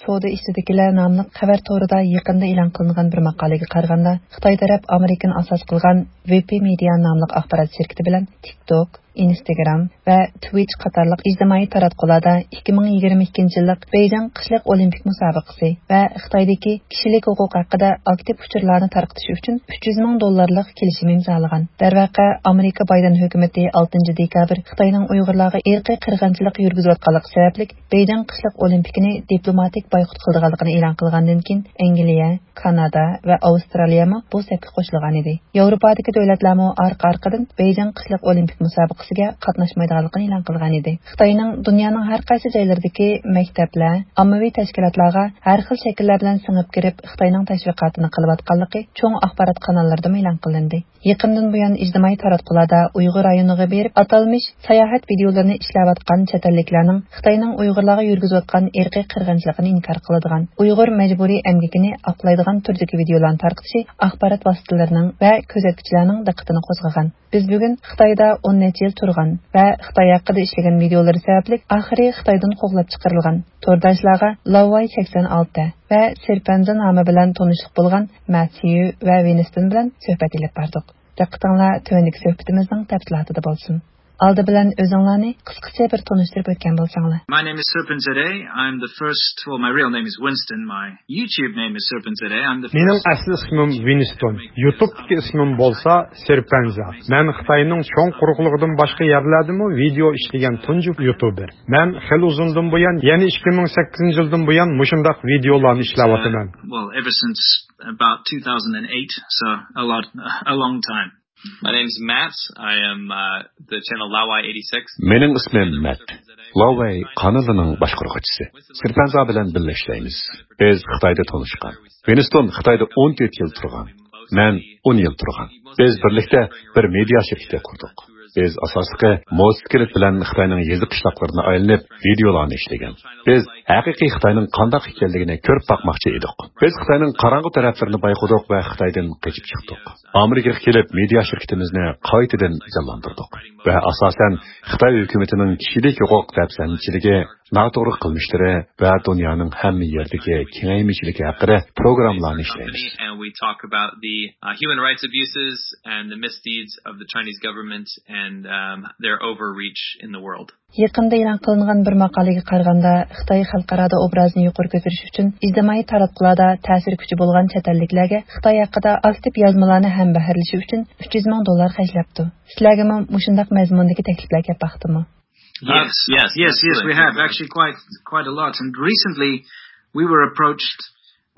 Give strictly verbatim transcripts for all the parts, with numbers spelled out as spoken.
سودا ئىچىدىكىلەر ناملىق خەۋەر تورىدا يېقىندا ئېلان قىلىنغان بىر ماقالىگە قارىغاندا، خىتاي تەرەپ ئامېرىكىنى ئاساس قىلغان ۋىپى مېدىيا ناملىق ئاخبارات شىركىتى بىلەن تىك توك، ئىنستاگرام ۋە تىۋىچ قاتارلىق ئىجتىمائىي تاراتقۇلاردا ئىككى مىڭ يىگىرمە ئىككىنچى يىللىق بېيجىڭ قىشلىق ئولىمپىك مۇسابىقىسى ۋە خىتايدىكى كىشىلىك ھوقۇق ھەققىدە ئاكتىپ ئۇچۇرلارنى تارقىتىش ئۈچۈن ئۈچ يۈز مىڭ دوللارلىق كېلىشىم ئىمزالىغان. دەرۋەقە، ئامېرىكا بايدېن ھۆكۈمىتى ئالتىنچى دېكابىر خىتاينىڭ ئۇيغۇرلارغا ئىرقىي قىرغىنچىلىق يۈرگۈزۈۋاتقانلىقى سەۋەبلىك بېيجىڭ قىشلىق ئولىمپىكىنى دىپلوماتىك بايقۇت قىلىدىغانلىقىنى ئېلان قىلغاندىن كېيىن، ئەنگلىيە، كانادا ۋە ئاۋسترالىيەمۇ بۇ سەپكە قوشۇلغانىدى. ياۋروپادىكى دۆلەتلەرمۇ ئارقا-ئارقىدىن بېيجىڭ قىشلىق ئولىمپىك مۇسابىقىسىگە قاتناشمايدىغانلىقىنى ئېلان قىلغانىدى. خىتاينىڭ دۇنيانىڭ ھەر قايسى جايلىرىدىكى مەكتەپلەر، ئاممىۋى تەشكىلاتلارغا ھەر خىل شەكىللەر بىلەن سىڭىپ كىرىپ، خىتاينىڭ تەشۋىقاتىنى قىلىۋاتقانلىقى چوڭ ئاخبارات قاناللىرىدىمۇ ئېلان قىلىندى. يېقىندىن بۇيان ئىجتىمائىي تاراتقۇلاردا ئۇيغۇر رايونىغا بېرىپ، ئاتالمىش ساياھەت ۋىدىيولىرىنى ئىشلەۋاتقان چەت ئەللىكلەرنىڭ خىتاينىڭ ئۇيغۇرلارغا يۈرگۈزۈۋاتقان ئىرقىي قىرغىنچىلىقىنى ئىنكار قىلىدىغان، ئۇيغۇر مەجبۇرىي ئەمگىكىنى ئاقلايدىغان تۈردىكى ۋىدىيولارنى تارقىتىشى ئاخبارات ۋاسىتىلىرىنىڭ ۋە كۆزەتكۈچىلەرنىڭ دىققىتىنى قوزغىغان. بىز بۈگۈن خىتايدا ئون نەچچە يىل تۇرغان ۋە خىتاي ھەققىدە ئىشلىگەن ۋىدىيولىرى سەۋەبلىك ئاخىرى خىتايدىن قوغلاپ چىقىرىلغان تورداشلارغا لاۋاي سەكسەن ئالتە ۋە سېرپەنزا نامى بىلەن تونۇشلۇق بولغان ماتيۇ ۋە ۋىنستون بىلەن سۆھبەت ئېلىپ باردۇق. دىققىتىڭلار تۆۋەندىكى سۆھبىتىمىزنىڭ تەپسىلاتىدا بولسۇن. ئالدى بىلەن ئۆزۈڭلارنى قىسقىچە بىر تونۇشتۇرۇپ ئۆتكەن بولساڭلار. My name is Serpent Zade. I'm the first, well, my real name is Winston. My YouTube name is Serpent Zade. I'm the مېنىڭ first ئەسلى ئىسمىم ۋىنستون. يۇتۇبتىكى ئىسمىم بولسا سېرپەنزا. مەن خىتاينىڭ چوڭ قۇرۇقلۇقىدىن باشقا يەرلەردىمۇ ۋىدېئو ئىشلىگەن تۇنجى يۇتۇبېر. مەن خېلى ئۇزۇندىن بۇيان، يەنى ئىككى مىڭ سەككىزىنچى يىلدىن بۇيان مۇشۇنداق ۋىدېئولارنى ئىشلەۋاتىمەن. Well, ever since about two thousand eight, so a lot, a long time. My name's Matt. I am, uh, the channel Lawai eighty-six. مېنىڭ ئىسمىم مەت. لاۋەي قانىلىنىڭ باشقۇرغۇچىسى. سېرپەنزا بىلەن بىللە ئىشلەيمىز. بىز خىتايدا تونۇشقان. ۋىنستون خىتايدا ئون تۆت يىل تۇرغان. مەن ئون يىل تۇرغان. بىز بىرلىكتە بىر مېدىيا شىركىتى قۇردۇق. بىز ئاساسلىقى موتوسىكلىت بىلەن خىتاينىڭ يېزا قىشلاقلىرىنى ئايلىنىپ ۋىدېئولارنى ئىشلىگەن. بىز ھەقىقىي خىتاينىڭ قانداق ئىكەنلىكىنى كۆرۈپ باقماقچى ئىدۇق. بىز خىتاينىڭ قاراڭغۇ تەرەپلىرىنى بايقىدۇق ۋە خىتايدىن قېچىپ چىقتۇق. ئامېرىكىغا كېلىپ مېدىيا شىركىتىمىزنى قايتىدىن جانلاندۇردۇق. ۋە ئاساسەن خىتاي ھۆكۈمىتىنىڭ كىشىلىك ھوقۇق دەپسەندىچىلىكى، ناتوغرا قىلمىشلىرى ۋە دۇنيانىڭ ھەممە يېرىدىكى كېڭەيمىچىلىكى ھەققىدە پروگراممىلارنى ئىشلەيمىز. And we talk about the, uh, human rights abuses and the misdeeds of the Chinese government and, um, their overreach in the world. يېقىندا ئېلان قىلىنغان بىر ماقالىگە قارىغاندا، خىتاي خەلقئارادا ئوبرازىنى يۇقىرى كۆتۈرۈش ئۈچۈن ئىجتىمائىي تاراتقۇلاردا تەسىر كۈچى بولغان چەت ئەللىكلەرگە خىتاي ھەققىدە ئاكتىپ يازمىلارنى ھەمبەھىرلىشى ئۈچۈن ئۈچ يۈز مىڭ دوللار خەجلەپتۇ. سىلەرگىمۇ مۇشۇنداق مەزمۇندىكى تەكلىپلەر كەپ باقتىمۇ؟ Yes, yes, yes, yes, we have actually quite, quite a lot. And recently, we were approached,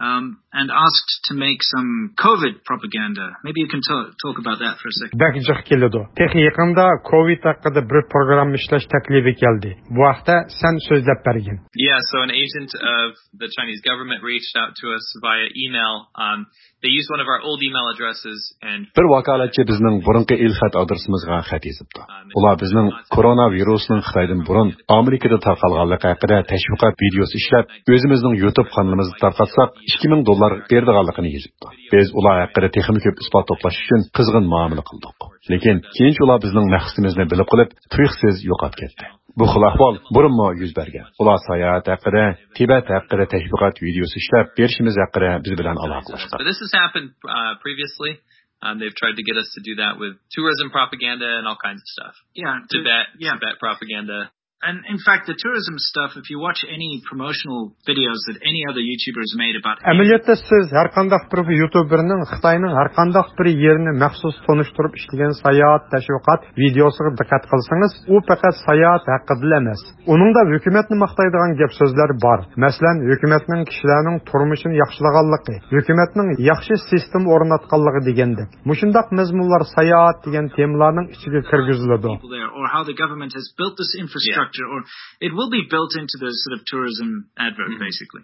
um, and asked to make some COVID propaganda. Maybe you can ta-, talk about that for a second. بەك جىق كېلىدۇ. تېخى يېقىندا كوۋىد ھەققىدە بىر پروگرامما ئىشلەش تەكلىپى كەلدى. بۇ ھەقتە سەن سۆزلەپ بەرگىن. Yeah, so an agent of the Chinese government reached out to us via email. Um, they used one of our old email addresses and بىر ۋاكالەتچى بىزنىڭ بۇرۇنقى ئېلخەت ئادرېسىمىزغا خەت يېزىپتۇ. ئۇلار بىزنىڭ كورونا ۋىرۇسىنىڭ خىتايدىن بۇرۇن ئامېرىكىدا تارقالغانلىقى ھەققىدە تەشۋىقات ۋىدېئوسى ئىشلەپ، ئۆزىمىزنىڭ يۇتۇب قانىلىمىزدا تارقاتساق، ئىككى مىڭ دوللار بېرىدىغانلىقىنى يېزىپتۇ. بىز ئۇلار ھەققىدە تېخىمۇ كۆپ ئىسپات توپلاش ئۈچۈن قىزغىن مۇئامىلە قىلدۇق. لېكىن كېيىنچە ئۇلار بىزنىڭ مەقسىتىمىزنى بىلىپ قېلىپ، تۇيۇقسىز يوقاپ كەتتى. بۇ خىل ئەھۋال بۇرۇنمۇ يۈز بەرگەن. ئۇلار ساياھەت ھەققىدە، تىبەت ھەققىدە تەشۋىقات ۋىدېئوسى ئىشلەپ بېرىشىمىز ھەققىدە بىز بىلەن ئالاقىلەشكەن. But this has happened, uh, previously. Um, they've tried to get us to do that with tourism propaganda and all kinds of stuff. Yeah, Tibet, yeah. Tibet propaganda. And in fact, the tourism stuff, if you watch any promotional videos that any other YouTuber has made about any ئەمەلىيەتتە سىز ھەر قانداق بىر يۇتۇبېرنىڭ خىتاينىڭ ھەر قانداق بىر يېرىنى مەخسۇس تونۇشتۇرۇپ ئىشلىگەن ساياھەت تەشۋىقات ۋىدېئوسىغا دىققەت قىلسىڭىز، ئۇ پەقەت ساياھەت ھەققىدىلا ئەمەس. ئۇنىڭدا ھۆكۈمەتنى ماختايدىغان گەپ سۆزلەر بار. مەسىلەن، ھۆكۈمەتنىڭ كىشىلەرنىڭ تۇرمۇشىنى ياخشىلىغانلىقى، ھۆكۈمەتنىڭ ياخشى سىستېما ئورناتقانلىقى دېگەندەك. مۇشۇنداق مەزمۇنلار ساياھەت دېگەن تېمىلارنىڭ ئىچىگە كىرگۈزۈلىدۇ. People there, or how the government has built this infrastructure, yeah, or it will be built into the sort of tourism advert, mm-hmm, basically.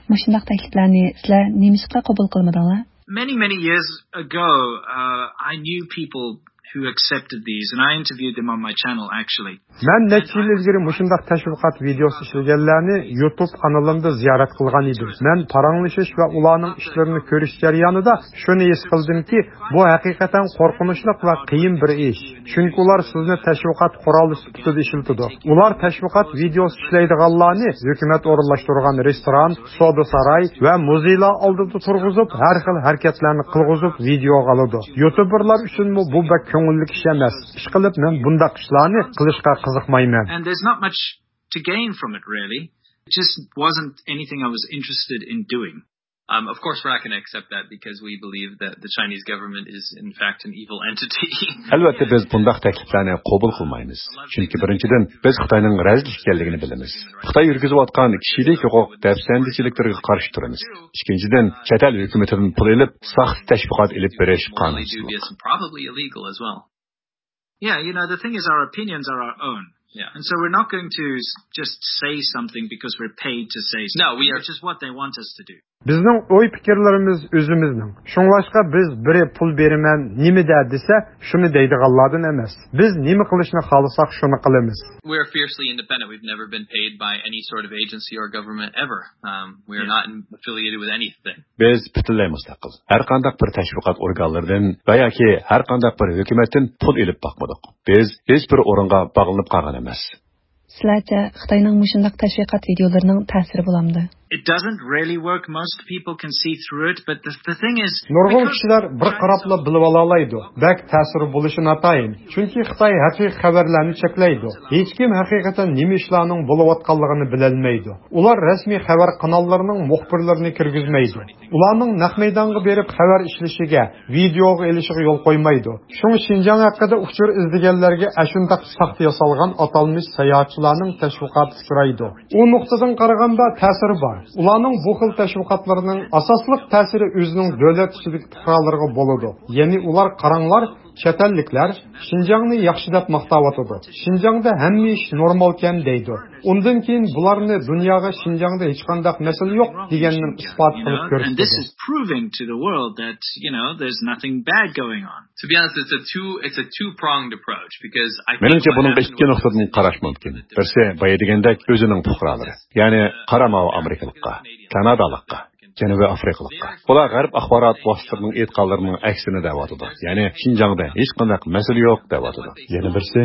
مۇشۇنداق تەكلىپلەرنى سىلەر نېمىشقا قوبۇل قىلمىدىڭلار؟ Many, many years ago, uh, I knew people who accepted these, and I interviewed them on my channel, actually. مەن نەچچە يىل ئىلگىرى مۇشۇنداق تەشۋىقات ۋىدېئوسى ئىشلىگەنلەرنى يۇتۇب قانىلىمدا زىيارەت قىلغان ئىدىم. مەن پاراڭلىشىش ۋە ئۇلارنىڭ ئىشلىرىنى كۆرۈش جەريانىدا شۇنى ھېس قىلدىمكى، بۇ ھەقىقەتەن قورقۇنچلۇق ۋە قىيىن بىر ئىش. چۈنكى ئۇلار سىزنى تەشۋىقات قورالى سۈپىتىدە ئىشلىتىدۇ. ئۇلار تەشۋىقات ۋىدېئوسى ئىشلەيدىغانلارنى ھۆكۈمەت ئورۇنلاشتۇرغان رېستوران، سودا ساراي ۋە مۇزېيلار ئالدىدا تۇرغۇزۇپ، ھەر خىل ھەرىكەتلەرنى قىلغۇزۇپ ۋىدېئوغا ئالىدۇ. يۇتۇبېرلار ئۈچۈنمۇ بۇ بەك كۆڭۈللۈك ئىش ئەمەس. ئىشقىلىپ، مەن بۇنداق ئىشلارنى قىلىشقا قىزىقمايمەن. And there's not much to gain from it, really. It just wasn't anything I was interested in doing. Um, of course, we're not going to accept that because we believe that the Chinese government is, in fact, an evil entity. ئەلۋەتتە، بىز بۇنداق تەكلىپلەرنى قوبۇل قىلمايمىز. چۈنكى، بىرىنچىدىن، بىز خىتاينىڭ رەزىل ئىكەنلىكىنى بىلىمىز. خىتاي يۈرگۈزۈۋاتقان كىشىلىك ھوقۇق دەپسەندىچىلىكلىرىگە قارشى تۇرىمىز. ئىككىنچىدىن، چەت ئەل ھۆكۈمىتىدىن پۇل ئېلىپ، ساختا تەشۋىقات ئېلىپ بېرىش قانۇنسىزلىق. Probably illegal as well. Yeah, you know, the thing is, our opinions are our own. Yeah. And so we're not going to s- just say something because we're paid to say something, No, we are which is what they want us to do. بىزنىڭ ئوي پىكىرلىرىمىز ئۆزىمىزنىڭ. شۇڭلاشقا بىز بىرى پۇل بېرىمەن، نېمە دە دېسە، شۇنى دەيدىغانلاردىن ئەمەس. بىز نېمە قىلىشنى خالىساق، شۇنى قىلىمىز. We're fiercely independent. We've never been paid by any sort of agency or government ever. Um, we are Yeah. not in- affiliated with anything. بىز پۈتۈنلەي مۇستەقىل. ھەر قانداق بىر تەشۋىقات ئورگانلىرىدىن ۋە ياكى ھەر قانداق بىر ھۆكۈمەتتىن پۇل ئېلىپ باقمىدۇق. بىز ھېچ بىر ئورۇنغا باغلىنىپ قالغان ئەمەس. سىلەرچە، خىتاينىڭ مۇشۇنداق تەشۋىقات ۋىدېئولىرىنىڭ تەسىرى بولامدۇ؟ It doesn't really work. Most people can see through it, but the, the thing is, نۇرغۇن كىشىلەر بىر قاراپلا بىلىۋالالايدۇ. بەك تەسىرى بولۇشى ناتايىن. چۈنكى خىتاي ھەقىقىي خەۋەرلەرنى چەكلەيدۇ. ھېچكىم ھەقىقەتەن نېمە ئىشلارنىڭ بولۇۋاتقانلىقىنى بىلەلمەيدۇ. ئۇلار رەسمىي خەۋەر قاناللىرىنىڭ مۇخبىرلىرىنى كىرگۈزمەيدۇ. ئۇلارنىڭ نەق مەيدانغا بېرىپ خەۋەر ئىشلىشىگە، ۋىدېئوغا ئېلىشىغا يول قويمايدۇ. شۇڭا شىنجاڭ ھەققىدە ئۇچۇر ئىزدىگەنلەرگە ئەشۇنداق ساختا ياسالغان ئاتالمىش ساياھەتچىلەرنىڭ تەشۋىقاتى ئۇچرايدۇ. ئۇ نۇقتىدىن قارىغاندا تەسىرى بار. ئۇلارنىڭ بۇ خىل تەشۋىقاتلىرىنىڭ ئاساسلىق تەسىرى ئۆزىنىڭ دۆلەت ئىچىدىكى پۇقرالىرىغا بولىدۇ. يەنى ئۇلار، قاراڭلار، چەت ئەللىكلەر شىنجاڭنى ياخشى دەپ ماختاۋاتىدۇ. شىنجاڭدا ھەممە ئىش نورمالكەن دەيدۇ. ئۇندىن كېيىن بۇلارنى دۇنياغا شىنجاڭدا ھېچقانداق مەسىلە يوق دېگەننى ئىسپات قىلىپ كۆرسىتىدۇ. And this is proving to the world that, you know, there's nothing bad going on. To be honest, it's a two, it's a two-pronged approach because I think مېنىڭچە، بۇنىڭغا ئىككى نۇقتىدىن قاراش مۇمكىن. بىرسى، بايا دېگەندەك، ئۆزىنىڭ پۇقرالىرى، يەنى قارا ماۋۇ ئامېرىكىلىققا، كانادالىققا، جەنۇبىي ئافرىقىلىققا. ئۇلار غەرب ئاخبارات ۋاسىتىلىرىنىڭ ئېيتقانلىرىنىڭ ئەكسىنى دەۋاتىدۇ. يەنى شىنجاڭدا ھېچقانداق مەسىلە يوق دەۋاتىدۇ. يەنە بىرسى،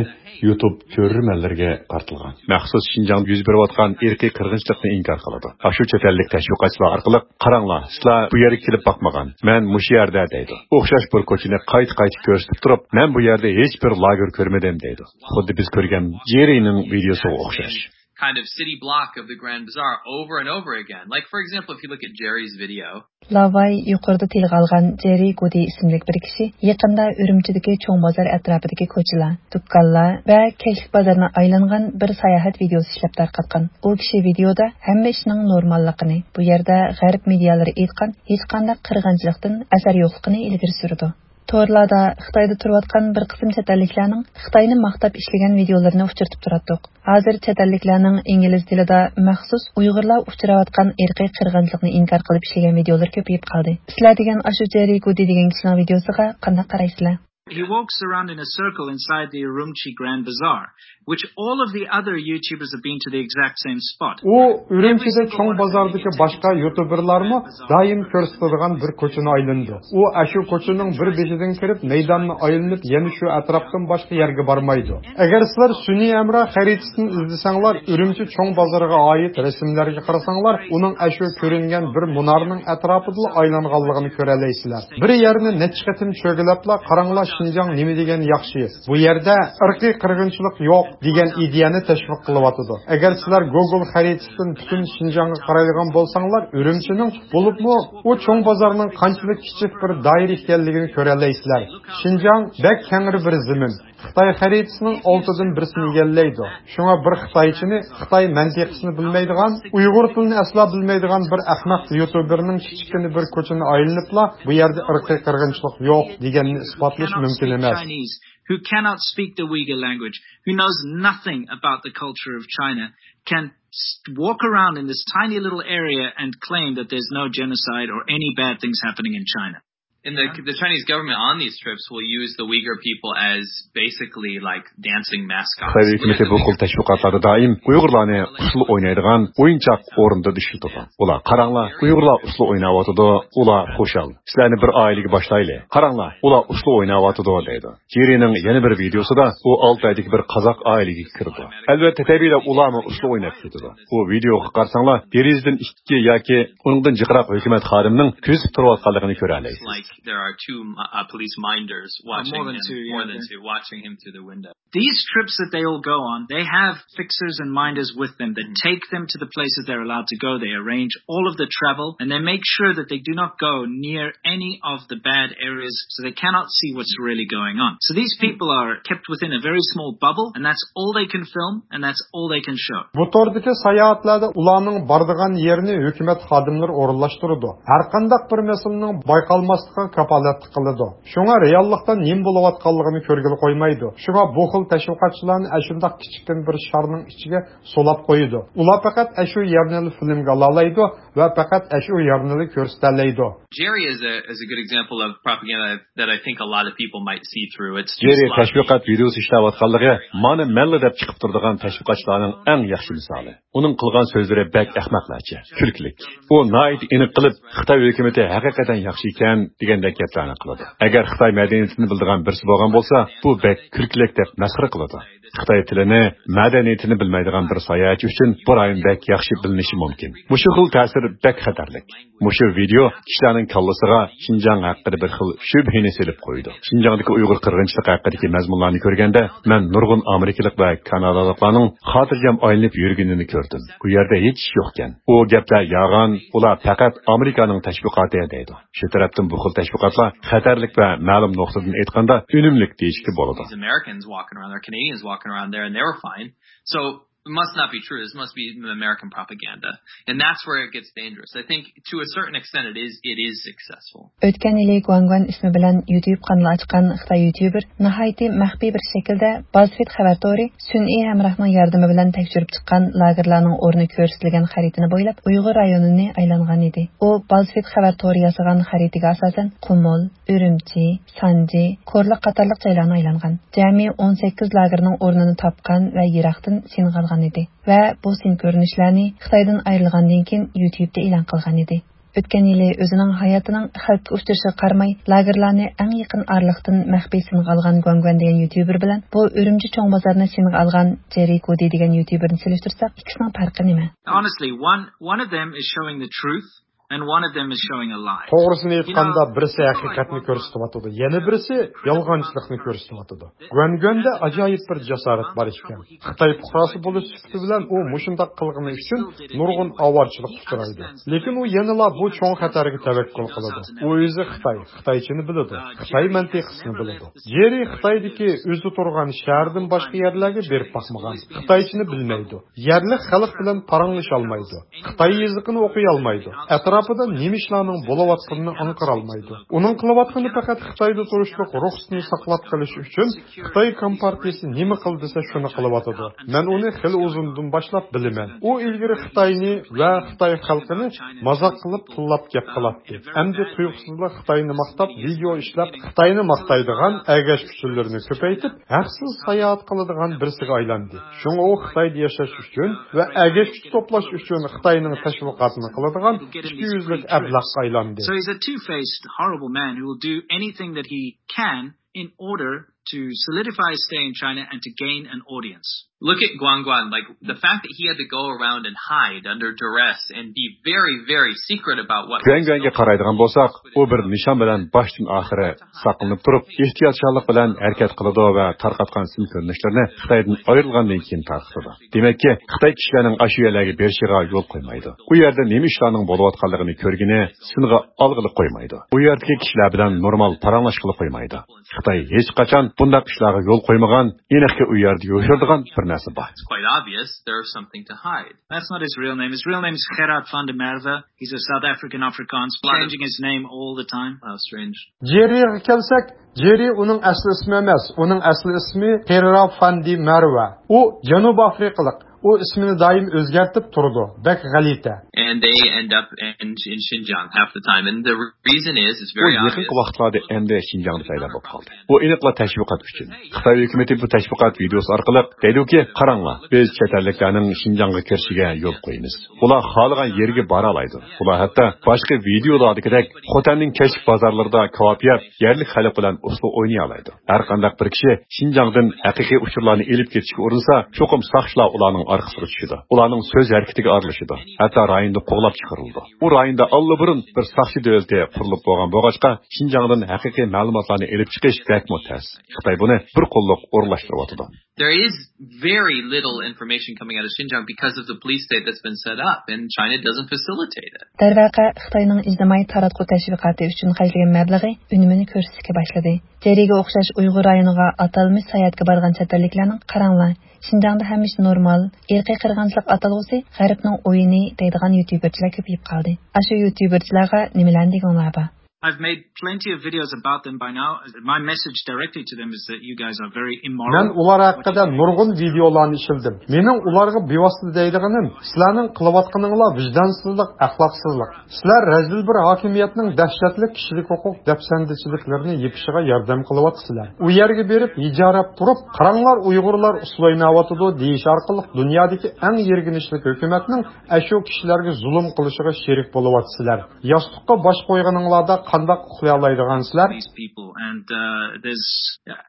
يۇتۇب تۆرىمەنلىرىگە قارىتىلغان. مەخسۇس شىنجاڭدا يۈز بېرىۋاتقان ئىرقىي قىرغىنچىلىقنى ئىنكار قىلىدۇ. ئاشۇ چەت ئەللىك تەشۋىقاتچىلار ئارقىلىق، قاراڭلار، سىلەر بۇ يەرگە كېلىپ باقمىغان، مەن مۇشۇ يەردە دەيدۇ. ئوخشاش بىر كوچىنى قايتا-قايتا كۆرسىتىپ تۇرۇپ، مەن بۇ يەردە ھېچ بىر لاگېر كۆرمىدىم دەيدۇ. خۇددى بىز كۆرگەن جېرىنىڭ ۋىدېئوسىغا ئوخشاش. Kind of city block of the Grand Bazaar over and over again. Like, for example, if you look at Jerry's video, لاۋاي يۇقىرىدا تىلغا ئالغان جېررى گۇدى ئىسىملىك بىر كىشى يېقىندا ئۈرۈمچىدىكى چوڭ بازار ئەتراپىدىكى كوچىلار، دۇكانلار ۋە كەچلىك بازارنى ئايلانغان بىر ساياھەت ۋىدېئوسى ئىشلەپ تارقاتقان. ئۇ كىشى ۋىدېئودا ھەممە ئىشنىڭ نورماللىقىنى، بۇ يەردە غەرب مېدىيالىرى ئېيتقان ھېچقانداق قىرغىنچىلىقتىن ئەسەر يوقلۇقىنى ئىلگىرى سۈرىدۇ. تورلاردا خىتايدا تۇرۇۋاتقان بىر قىسىم چەت ئەللىكلەرنىڭ خىتاينى ماختاپ ئىشلىگەن ۋىدېئولىرىنى ئۇچرىتىپ تۇراتتۇق. ھازىر چەت ئەللىكلەرنىڭ ئىنگلىز تىلىدا مەخسۇس ئۇيغۇرلار ئۇچراۋاتقان ئىرقىي قىرغىنچىلىقنى ئىنكار قىلىپ ئىشلىگەن ۋىدېئولىرى كۆپىيىپ قالدى. سىلەر دېگەن ئاشۇ جېررى گۇدى دېگەن كىشىنىڭ ۋىدېئوسىغا قانداق قارايسىلەر؟ He walks around in a circle inside the Urumqi Grand Bazaar, which all of the other YouTubers have been to the exact same spot. ئۇ ئۈرۈمچىدە چوڭ بازاردىكى باشقا يۇتۇبېرلارمۇ دائىم كۆرسىتىدىغان بىر كوچىنى ئايلىنىدۇ. ئۇ ئاشۇ كوچىنىڭ بىر بېشىدىن كىرىپ، مەيداننى ئايلىنىپ، يەنە شۇ ئەتراپتىن باشقا يەرگە بارمايدۇ. ئەگەر سىلەر سۈنئىي ھەمراھ خەرىتىسىنى ئىزدىسەڭلار، ئۈرۈمچى چوڭ بازىرىغا ئائىت رەسىملەرگە قارىساڭلار، ئۇنىڭ ئاشۇ كۆرۈنگەن بىر مۇنارنىڭ ئەتراپىدىلا ئايلانغانلىقىنى كۆرەلەيسىلەر. بىر يەرنى نەچچە قېتىم چۆگىلەپلا، قاراڭلار، شىنجاڭ نېمە دېگەن ياخشى، بۇ يەردە ئىرقىي قىرغىنچىلىق يوق دېگەن ئىدىيەنى تەشۋىق قىلىۋاتىدۇ. ئەگەر سىلەر گوگول خەرىتىسىدىن پۈتۈن شىنجاڭغا قارايدىغان بولساڭلار، ئۈرۈمچىنىڭ، بولۇپمۇ ئۇ چوڭ بازارنىڭ قانچىلىك كىچىك بىر دائىرە ئىكەنلىكىنى كۆرەلەيسىلەر. شىنجاڭ بەك كەڭرى بىر زېمىن. خىتاي خەرىتىسىنىڭ ئالتىدىن بىرسىنى ئىگىلەيدۇ. شۇڭا بىر خىتايچىنى، خىتاي مەنتىقىسىنى بىلمەيدىغان، ئۇيغۇر تىلىنى ئەسلا بىلمەيدىغان بىر ئەخمەق يۇتۇبېرنىڭ كىچىككىنە بىر كوچىنى ئايلىنىپلا، بۇ يەردە ئىرقىي قىرغىنچىلىق يوق دېگەننى ئىسپاتلىشى مۇمكىن ئەمەس. Chinese who cannot speak the Uyghur language, who knows nothing about the culture of China, can s- walk around in this tiny little area and claim that there's no genocide or any bad things happening in China. And the, the Chinese government on these trips will use the Uyghur people as basically like dancing mascots. خىتاي ھۆكۈمىتى بۇ خىل تەشۋىقاتلاردا دائىم ئۇيغۇرلارنى ئۇسسۇل ئوينايدىغان ئويۇنچۇق ئورنىدا ئىشلىتىدۇ. ئۇلار، «قاراڭلار، ئۇيغۇرلار ئۇسسۇل ئويناۋاتىدۇ، ئۇلار خۇشال. سىلەرنى بىر ئائىلىگە باشلايلى. قاراڭلار، ئۇلار ئۇسسۇل ئويناۋاتىدۇ» دەيدۇ. جېررىنىڭ يەنە بىر ۋىدېئوسىدا ئۇ ئالتايدىكى بىر قازاق ئائىلىگە كىرىدۇ. ئەلۋەتتە، تەبىئىيلا ئۇلارمۇ ئۇسسۇل ئويناپ كېتىدۇ. بۇ ۋىدېئوغا قارىساڭلار، دېرىزىدىن ئىككى ياكى ئۇنىڭدىن جىقراق ھۆكۈمەت خادىمىنىڭ كۆزىتىپ تۇرۇۋاتقانلىقىنى كۆرەلەيسىز. Like there are two uh, police minders watching more than him, two, yeah, more than two, watching him through the window. These trips that they all go on, they have fixers and minders with them that take them to the places they're allowed to go. They arrange all of the travel and they make sure that they do not go near any of the bad areas, so they cannot see what's really going on. So these people are kept within a very small bubble, and that's all they can film, and that's all they can show. بۇ توردىكى ساياھەتلەردە ئۇلارنىڭ بارىدىغان يېرىنى ھۆكۈمەت خادىملىرى ئورۇنلاشتۇرىدۇ. ھەرقانداق بىر مەسىلىنىڭ بايقالماسلىقىغا كاپالەتلىك قىلىدۇ. شۇڭا رېئاللىقتا نېمە بولۇۋاتقانلىقىنى كۆرگىلى قويمايدۇ. شۇڭا بۇ خىل تەشۋىقاتچىلارنى ئەشۇنداق كىچىككىنە بىر شارنىڭ ئىچىگە سولاپ قويىدۇ. ئۇلار پەقەت ئەشۇ يەرنىلا فىلىمگە ئالالايدۇ ۋە پەقەت ئەشۇ يەرنىلا كۆرسىتەلەيدۇ. Jerry is a is a good example of propaganda that I think a lot of people might see through. It's just جېررى تەشۋىقات ۋىدېئوسى ئىشلەۋاتقانلىقى مانا مەنلا دەپ چىقىپ تۇرىدىغان تەشۋىقاتچىلارنىڭ ئەڭ ياخشى مىسالى. ئۇنىڭ قىلغان سۆزلىرى بەك ئەخمەقلەرچە، كۈلكىلىك. ئۇ ناھايىتى ئېنىق قىلىپ، «خىتاي ھۆكۈمىتى ھەقىقەتەن ياخشى ئىكەن» دېگەندەك گەپلەرنى قىلىدۇ. ئەگەر خىتاي مەدەنىيىتىنى بىلىدىغان بىرسى بولغان بولسا، بۇ بەك كۈلكىلىك دەپ مەسخىرە قىلىدۇ. خىتاي تىلىنى، مەدەنىيىتىنى بىلمەيدىغان بىر ساياھەتچى ئۈچۈن بۇ رايون بەك ياخشى بىلىنىشى مۇمكىن. مۇشۇ خىل تەسىر بەك خەتەرلىك. مۇشۇ ۋىدېئو كىشىلەرنىڭ كاللىسىغا شىنجاڭ ھەققىدە بىر خىل شۈبھىنى سېلىپ قويىدۇ. شىنجاڭدىكى ئۇيغۇر قىرغىنچىلىقى ھەققىدىكى مەزمۇنلارنى كۆرگەندە، مەن نۇرغۇن ئامېرىكىلىق ۋە كانادالىقلارنىڭ خاتىرجەم ئايلىنىپ يۈرگىنىنى كۆردۈم. ئۇ يەردە ھېچ ئىش يوقكەن. ئۇ گەپلەر يالغان، ئۇلار پەقەت ئامېرىكانىڭ تەشۋىقاتى، دەيدۇ. شۇ تەرەپتىن بۇ خىل تەشۋىقاتلار خەتەرلىك ۋە مەلۇم نۇقتىدىن ئېيتقاندا ئۈنۈملۈك دېيىشكە بولىدۇ. These Americans walking around there, Canadians walking around there, and they were fine. So it must not be true. This must be American propaganda. And that's where it gets dangerous. I think to a certain extent it is it is successful. ئۆتكەن يىلى گۇەنگۇەن ئىسمى بىلەن يۇتيۇب قانىلى ئاچقان خىتاي يۇتيۇبېر ناھايىتى مەخپىي بىر شەكىلدە بازفېد خەۋەر تورى سۈنئىي ھەمراھنىڭ ياردىمى بىلەن تەكشۈرۈپ چىققان لاگېرلارنىڭ ئورنى كۆرسىتىلگەن خەرىتىنى بويلاپ ئۇيغۇر رايونىنى ئايلانغان ئىدى. ئۇ بازفېد خەۋەر تورى ياسىغان خەرىتىگە ئاساسەن قۇمۇل، ئۈرۈمچى، سانجى، كورلا قاتارلىق جايلارنى ئايلانغان. جەمئىي ئون سەككىز لاگېرنىڭ ئورنىنى تاپقان ۋە يىراقتىن سىنغا ئالغان ئىدى. ۋە بۇ سىن كۆرۈنۈشلەرنى خىتايدىن ئايرىلغاندىن كېيىن يۇتيۇبتا ئېلان قىلغان ئىدى. ئۆتكەن يىلى ئۆزىنىڭ ھاياتىنىڭ خەۋپكە ئۇچرىشىغا قارىماي، لاگېرلارنى ئەڭ يېقىن ئارىلىقتىن مەخپىي سىنغا ئالغان گۇەنگۇەن دېگەن يۇتيۇبېر بىلەن بۇ ئۈرۈمچى چوڭ بازارنى سىنغا ئالغان جېررى كودى دېگەن يۇتيۇبېرنى سېلىشتۇرساق، ئىككىسىنىڭ پەرقى نېمە؟ Honestly, one one of them is showing the truth and one of them is showing a lie. توغرىسىنى ئېيتقاندا، بىرسى ھەقىقەتنى كۆرسىتىۋاتىدۇ، يەنە بىرسى يالغانچىلىقنى كۆرسىتىۋاتىدۇ. گۇەنگۈەندە ئاجايىپ بىر جاسارەت بار ئىكەن. خىتاي پۇقراسى بولۇش سۈپىتى بىلەن ئۇ مۇشۇنداق قىلغىنى ئۈچۈن نۇرغۇن ئاۋارىچىلىققا ئۇچرايدۇ. لېكىن ئۇ يەنىلا بۇ چوڭ خەتەرگە تەۋەككۈل قىلىدۇ. ئۇ ئۆزى خىتاي، خىتايچىنى بىلىدۇ، خىتاي مەنتىقىسىنى بىلىدۇ. جېررى خىتايدىكى ئۆزى تۇرغان شەھەردىن باشقا يەرلەرگە بېرىپ باقمىغان، خىتايچىنى بىلمەيدۇ. يەرلىك خەلق بىلەن پاراڭلىشالمايدۇ. خىتاي يېزىقىنى ئوقۇيالمايدۇ. ئەتراپىدا نېمە ئىشلارنىڭ بولۇۋاتقىنىنى ئاڭقىرالمايدۇ. ئۇنىڭ قىلىۋاتقىنى پەقەت خىتايدا تۇرۇشلۇق رۇخسىتىنى ساقلاپ قېلىش ئۈچۈن خىتاي كومپارتىيىسى نېمە قىل دېسە، شۇنى قىلىۋاتىدۇ. مەن ئۇنى خېلى ئۇزۇندىن باشلاپ بىلىمەن. ئۇ ئىلگىرى خىتاينى ۋە خىتاي خەلقىنى مازاق قىلىپ، تىللاپ گەپ قىلاتتى. ئەمدى تۇيۇقسىزلا خىتاينى ماختاپ، ۋىدېئو ئىشلەپ، خىتاينى ماختايدىغان ئەگەشكۈچىلىرىنى كۆپەيتىپ، ھەقسىز ساياھەت قىلىدىغان بىرسىگە ئايلاندى. شۇڭا ئۇ خىتايدا ياشاش ئۈچۈن ۋە ئەگەشكۈچ توپلاش ئۈچۈن خىتاينىڭ تەشۋىقاتىنى قىلىدىغان ئىككى يۈزلۈك ئەبلەخقە ئايلاندى. So he's a two-faced, horrible man who will do anything that he can in order to solidify his stay in China and to gain an audience. Look at Guan Guan. Like, the fact that he had to go around and hide under duress and be very, very secret about what he was گۇەنگۈەنگە قارايدىغان بولساق، ئۇ بىر نىشان بىلەن باشتىن ئاخىرى ساقلىنىپ تۇرۇپ، ئېھتىياتچانلىق بىلەن ھەرىكەت قىلىدۇ ۋە تارقاتقان سىن كۆرۈنۈشلىرىنى خىتايدىن ئايرىلغاندىن كېيىن تارقىتىدۇ. دېمەككى، خىتاي كىشىلەرنىڭ ئاشۇ يەرلەرگە بېرىشىغا يول قويمايدۇ. ئۇ يەردە نېمە ئىشلارنىڭ بولۇۋاتقانلىقىنى كۆرگىنى سىنغا ئالغىلى قويمايدۇ. ئۇ يەردىكى كىشىلەر بىلەن نورمال پاراڭلاشقىلى قويمايدۇ. خىتاي ھېچقاچان بۇنداق ئىشلارغا يول قويمىغان، ئېنىقكى ئۇ يەردە يوشۇرىدىغان بىر نەرسە بار. It's quite obvious there is something to hide. That's not his real name. His real name is Gerard van der Merwe. He's a South African Afrikaans, changing his name all the time. How strange. جېررىغا كەلسەك، جېررى ئۇنىڭ ئەسلى ئىسمى ئەمەس. ئۇنىڭ ئەسلى ئىسمى خېررا فان دى مەرۋە. ئۇ جەنۇبىي ئافرىقىلىق. ئۇ ئىسمىنى دائىم ئۆزگەرتىپ تۇرىدۇ. بەك غەلىتە. And they end up in, in Xinjiang half the time. And the reason is, it's very obvious. بۇ يېقىنقى ۋاقىتلاردا ئەمدى شىنجاڭدا پەيدا بولۇپ قالدى. بۇ ئېنىقلا تەشۋىقات ئۈچۈن. خىتاي ھۆكۈمىتى بۇ تەشۋىقات ۋىدىيوسى ئارقىلىق دەيدۇكى، قاراڭلار، بىز چەت ئەللىكلەرنىڭ شىنجاڭغا كىرىشىگە يول قويىمىز. ئۇلار خالىغان يەرگە بارالايدۇ. ئۇلار ھەتتا باشقا ۋىدىيولاردىكىدەك خوتەننىڭ كەچلىك بازارلىرىدا كاۋاپ يەپ، يەرلىك خەلق بىلەن ئۇسسۇل ئوينىيالايدۇ. ھەر قانداق بىر كىشى شىنجاڭدىن ھەقىقىي ئۇچۇرلارنى ئېلىپ كېتىشكە ئۇرۇنسا، چوقۇم ساقچىلار ئۇلارنىڭ ئارقىسىغا چۈشىدۇ. ئۇلارنىڭ سۆز ھەرىكىتىگە ئارىلىشىدۇ. ھەتتا رايوندا قوغلاپ چىقىرىلىدۇ. ئۇ رايوندا ئاللىبۇرۇن بىر ساقچى دۆلىتى قۇرۇلۇپ بولغان بولغاچقا، شىنجاڭدىن ھەقىقىي مەلۇماتلارنى ئېلىپ چىقىش بەكمۇ تەس. خىتاي بۇنى بىر قوللۇق ئورۇنلاشتۇرۇۋاتىدۇ. There is very little information coming out of Xinjiang because of the police state that's been set up, and China doesn't facilitate it. دەرۋەقە، خىتاينىڭ ئىجتىمائىي تاراتقۇ تەشۋىقاتى ئۈچۈن خەجلىگەن مەبلىغى ئۈنۈمىنى كۆرسىتىشكە باشلىدى. جېرىگە ئوخشاش ئۇيغۇر رايونىغا ئاتالمىش ساياھەتكە بارغان چەت ئەللىكلەرنىڭ، قاراڭلار، شىنجاڭدا ھەممە ئىش نورمال، ئىرقىي قىرغىنچىلىق ئاتالغۇسى غەربنىڭ ئويۇنى دەيدىغان يۇتيۇبېرچىلار كۆپىيىپ قالدى. ئاشۇ يۇتيۇبېرچىلارغا نېمىلەرنى دېگۈڭلار بار؟ I've made plenty of videos about them by now. My message directly to them is that you guys are very immoral. مەن ئۇلار ھەققىدە نۇرغۇن ۋىدىيولارنى ئىشلىدىم. مېنىڭ ئۇلارغا بىۋاسىتە دەيدىغىنىم، سىلەرنىڭ قىلىۋاتقىنىڭلار ۋىجدانسىزلىق، ئەخلاقسىزلىق. سىلەر رەزىل بىر ھاكىمىيەتنىڭ دەھشەتلىك كىشىلىك ھوقۇق دەپسەندىچىلىكلىرىنى يېپىشىغا ياردەم قىلىۋاتىسىلەر. ئۇ يەرگە بېرىپ، ھىجايىپ تۇرۇپ، «قاراڭلار، ئۇيغۇرلار ئۇسسۇل ئويناۋاتىدۇ» دېيىش ئارقىلىق دۇنيادىكى ئەڭ يىرگىنچلىك ھۆكۈمەتنىڭ ئەشۇ كىشىلەرگە زۇلۇم قىلىشىغا شېرىك بولۇۋاتىسىلەر. ياستۇققا باش قويغىنىڭلاردا قانداق ئۇخلىيالايدىغانسىلەر؟ These people, and, uh, there's,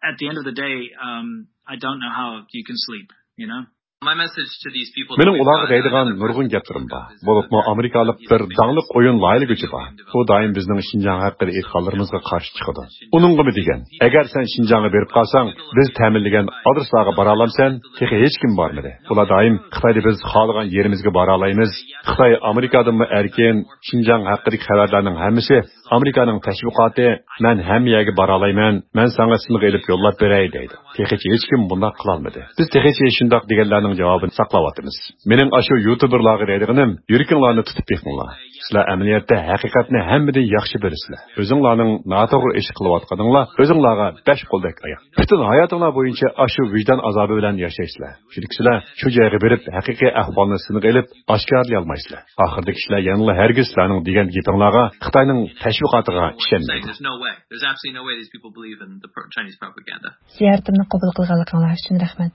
at the end of the day, um, I don't know how you can sleep, you know? My message to these people. مېنىڭ ئۇلارغا دەيدىغان نۇرغۇن گەپلىرىم بار. بولۇپمۇ ئامېرىكالىق بىر داڭلىق ئويۇن لايىھىلىگۈچى بار. ئۇ دائىم بىزنىڭ شىنجاڭ ھەققىدە ئېيتقانلىرىمىزغا قارشى چىقىدۇ. ئۇنىڭغىمۇ دېگەن، ئەگەر سەن شىنجاڭغا بېرىپ قالساڭ، بىز تەمىنلىگەن ئادرېسلارغا بارالامسەن؟ تېخى ھېچكىم بارمىدى. ئۇلار دائىم، «خىتايدا بىز خالىغان يېرىمىزگە بارالايمىز. خىتاي ئامېرىكادىنمۇ ئەركىن، شىنجاڭ ھەققىدىكى خەۋەرلەرنىڭ ھەممىسى ئامېرىكانىڭ تەشۋىقاتى، مەن ھەممە يەرگە بارالايمەن، مەن ساڭا سىنغا ئېلىپ يوللاپ بېرەي» دەيدۇ. تېخىچە ھېچكىم بۇنداق قىلالمىدى. بىز تېخىچە شۇنداق دېگەنلەرنىڭ جاۋابىنى ساقلاۋاتىمىز. مېنىڭ ئاشۇ يۇتۇبېرلارغا دەيدىغىنىم، يۈرىكىڭلارنى تۇتۇپ بېقىڭلار. سىلەر ئەمەلىيەتتە ھەقىقەتنى ھەممىدىن ياخشى بىلىسىلەر. ئۆزۈڭلارنىڭ ناتوغرا ئىش قىلىۋاتقىنىڭلار ئۆزۈڭلارغا بەش قولدەك ئايان. پۈتۈن ھاياتىڭلار بويىچە ئاشۇ ۋىجدان ئازابى بىلەن ياشايسىلەر. چۈنكى سىلەر شۇ جايغا بېرىپ، ھەقىقىي ئەھۋالنى سىنغا ئېلىپ، ئاشكارىلىيالمايسىلەر. ئاخىرىدا كىشىلەر يەنىلا ھەرگىز سىلەرنىڭ دېگەن گېپىڭلارغا، خىتاينىڭ تەشۋىقاتىغا ئىشەنمەيدۇ. There's no way. There's absolutely no way these people believe in the pro-, Chinese propaganda. زىيارىتىمنى قوبۇل قىلغانلىقىڭلار ئۈچۈن رەھمەت.